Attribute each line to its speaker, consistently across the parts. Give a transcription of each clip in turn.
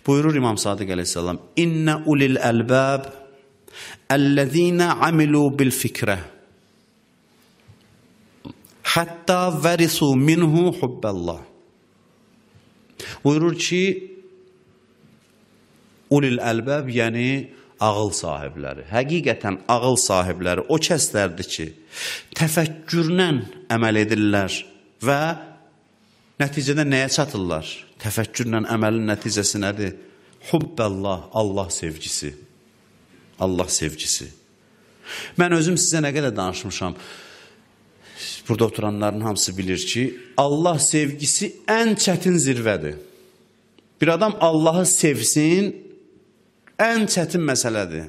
Speaker 1: Buyurur İmam Sadiq əleyhissalam: "İnne ulil albab ellezina amilu bil fikrə hatta varisu minhu hubballah." Buyurur ki, ulil albab, yəni ağıl sahibləri, həqiqətən ağıl sahibləri o kəslərdir ki, təfəkkürlə əməl edirlər və nəticədə nəyə çatırlar? Təfəkkürlə əməlin nəticəsi nədir? Hubballah, Allah sevgisi. Allah sevgisi. Mən özüm sizə nə qədər danışmışam, burada oturanların hamısı bilir ki, Allah sevgisi ən çətin zirvədir. Bir adam Allahı sevsin, ən çətin məsələdir.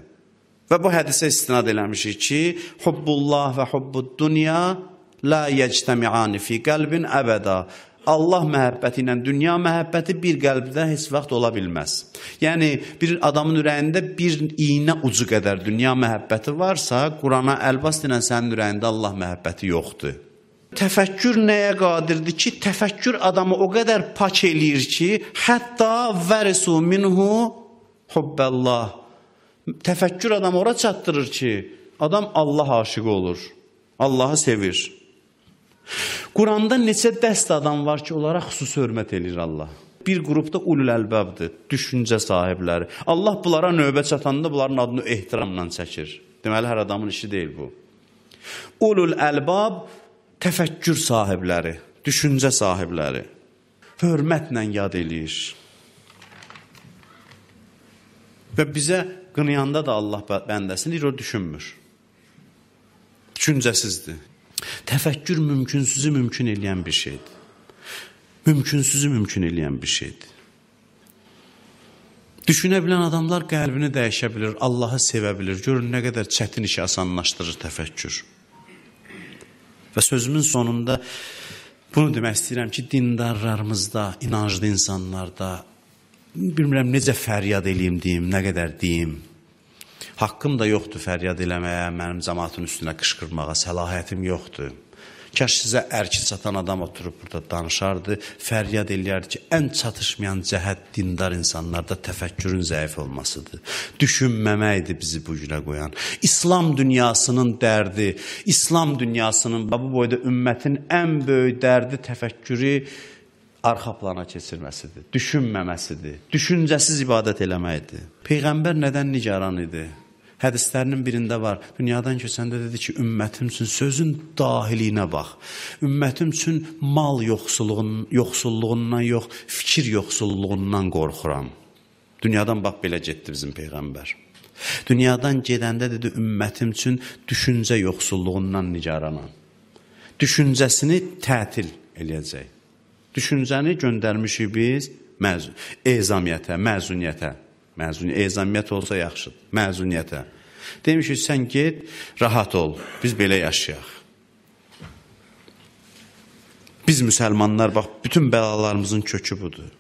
Speaker 1: Və bu hədisə istinad eləmişik ki, hubbullah və hubbud dünya la yectəmi'ani fi qəlbin əbəda. Allah məhəbbəti ilə dünya məhəbbəti bir qəlbdə heç vaxt ola bilməz. Yəni, bir adamın ürəyində bir iynə ucu qədər dünya məhəbbəti varsa, Qurana əlbas deyilən sənin ürəyində Allah məhəbbəti yoxdur. Təfəkkür nəyə qadirdir ki, təfəkkür adamı o qədər pak eləyir ki, hətta vərisu minhu hubballah. Təfəkkür adamı ora çatdırır ki, adam Allah aşığı olur, Allahı sevir. Quranda neçə dəst adam var ki, onlara xüsusi hörmət edir Allah. Bir qrupda ulul əlbəbdir, düşüncə sahibləri. Allah bunlara növbə çatanda bunların adını ehtiramla çəkir. Deməli, hər adamın işi deyil bu. Ulul əlbəb, təfəkkür sahibləri, düşüncə sahibləri. Hörmətlə yad eləyir. Və bizə qınayanda da Allah bəndəsini o düşünmür. Düşüncəsizdir. Təfəkkür mümkünsüzü mümkün eləyən bir şeydir. Mümkünsüzü mümkün eləyən bir şeydir. Düşünə bilən adamlar qəlbini dəyişə bilir, Allahı sevə bilir. Görün nə qədər çətin işi asanlaşdırır təfəkkür. Və sözümün sonunda bunu demək istəyirəm ki, dindarlarımızda, inanclı insanlarda, bilmirəm necə fəryad eləyim deyim, nə qədər deyim. Haqqım da yoxdur fəryad eləməyə, mənim cəmaatın üstünə qışqırmağa, səlahiyyətim yoxdur. Kaş sizə ərki çatan adam oturub burada danışardı, fəryad eləyərdi ki, ən çatışmayan cəhət dindar insanlarda təfəkkürün zəif olmasıdır. Düşünməməkdir bizi bu günə qoyan. İslam dünyasının dərdi, İslam dünyasının bu boyda ümmətin ən böyük dərdi təfəkkürü arxa plana keçirməsidir, düşünməməsidir, düşüncəsiz ibadət eləməkdir. Peyğəmbər nədən nigaran idi? Hədislərinin birində var, dünyadan köçəndə dedi ki, ümmətim üçün sözün dahiliyinə bax. Ümmətim üçün mal yoxsulluğundan yox, fikir yoxsulluğundan qorxuram. Dünyadan bax, belə getdi bizim Peyğəmbər. Dünyadan gedəndə dedi, ümmətim üçün düşüncə yoxsulluğundan nigaranam. Düşüncəsini tətil eləyəcək. Düşüncəni göndərmişik biz ezamiyyətə, məzuniyyətə. Ezamiyyət olsa yaxşıdır, məzuniyyətə. Demişik, sən get, rahat ol, biz belə yaşayaq. Biz müsəlmanlar, bax, bütün bəlalarımızın kökü budur.